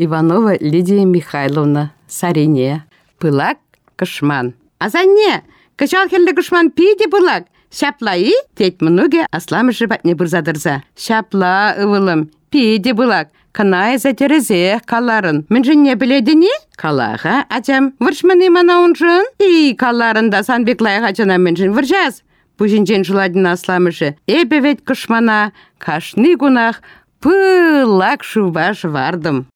Иванова Лидия Михайловна, Сарине. Пылак кӑшман. Асанне, кӑҫал хӗрлӗ кӑшман питӗ пылак. Ҫапла-и? тет мӑнукӗ асламӑшӗ патне пырса тӑрса. Ҫапла, ывӑлӑм, питӗ пылак. Кӑна эсӗ тӗрӗсех каларӑн. Мӗншӗнне пӗлетӗн-и? Кала-ха, ачам, вӑрҫман-и мана уншӑн? И, каларӑн та сан пек лайӑх ачана мӗншӗн вӑрҫас? Пуҫӗнчен шӑлать асламӑшӗ. Эпӗ вӗт кӑшмана кашни кунах пылак шывпа шӑвартӑм.